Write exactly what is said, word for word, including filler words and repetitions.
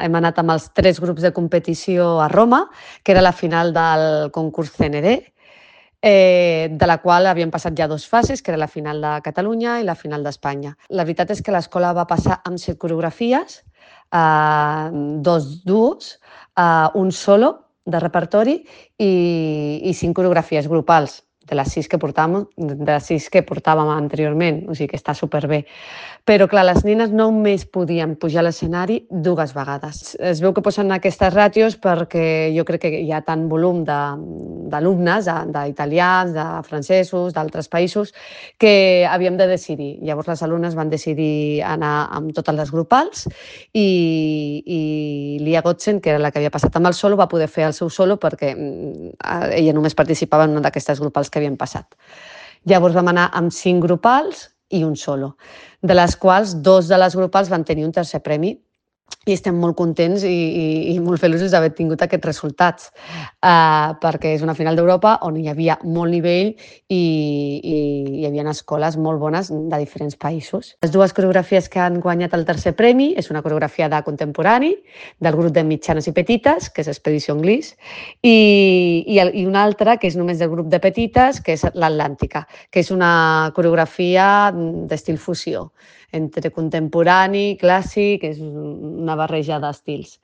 hem anat amb els tres grups de competició a Roma, que era la final del concurs C N D, eh, de la qual havien passat ja dues fases, que era la final de Catalunya i la final d'Espanya. La veritat és que l'escola va passar amb set coreografies, eh, dos duos, eh, un solo de repertori i, i cinc coreografies grupals, de les sis que portàvem, de les sis que portàvem anteriorment, o sigui que està superbé. Però, clar, les nenes només podien pujar a l'escenari dues vegades. Es veu que posen aquestes ràtios perquè jo crec que hi ha tant volum d'alumnes, d'italians, de francesos, d'altres països, que havíem de decidir. Llavors les alumnes van decidir anar amb totes les grupals i, i Lia Gotzen, que era la que havia passat amb el solo, va poder fer el seu solo perquè ella només participava en una d'aquestes grupals que havien passat. Llavors vam anar amb cinc grupals i un solo, de les quals dos de les grupals van tenir un tercer premi i estem molt contents i, i, i molt feliços d'haver tingut aquests resultats, uh, perquè és una final d'Europa on hi havia molt nivell i, i hi havia escoles molt bones de diferents països. Les dues coreografies que han guanyat el tercer premi és una coreografia de contemporani del grup de mitjanes i petites, que és Expedició Anglès, i, i, i una altra que és només del grup de petites, que és l'Atlàntica, que és una coreografia d'estil fusió, entre contemporani, clàssic, és una barreja d'estils.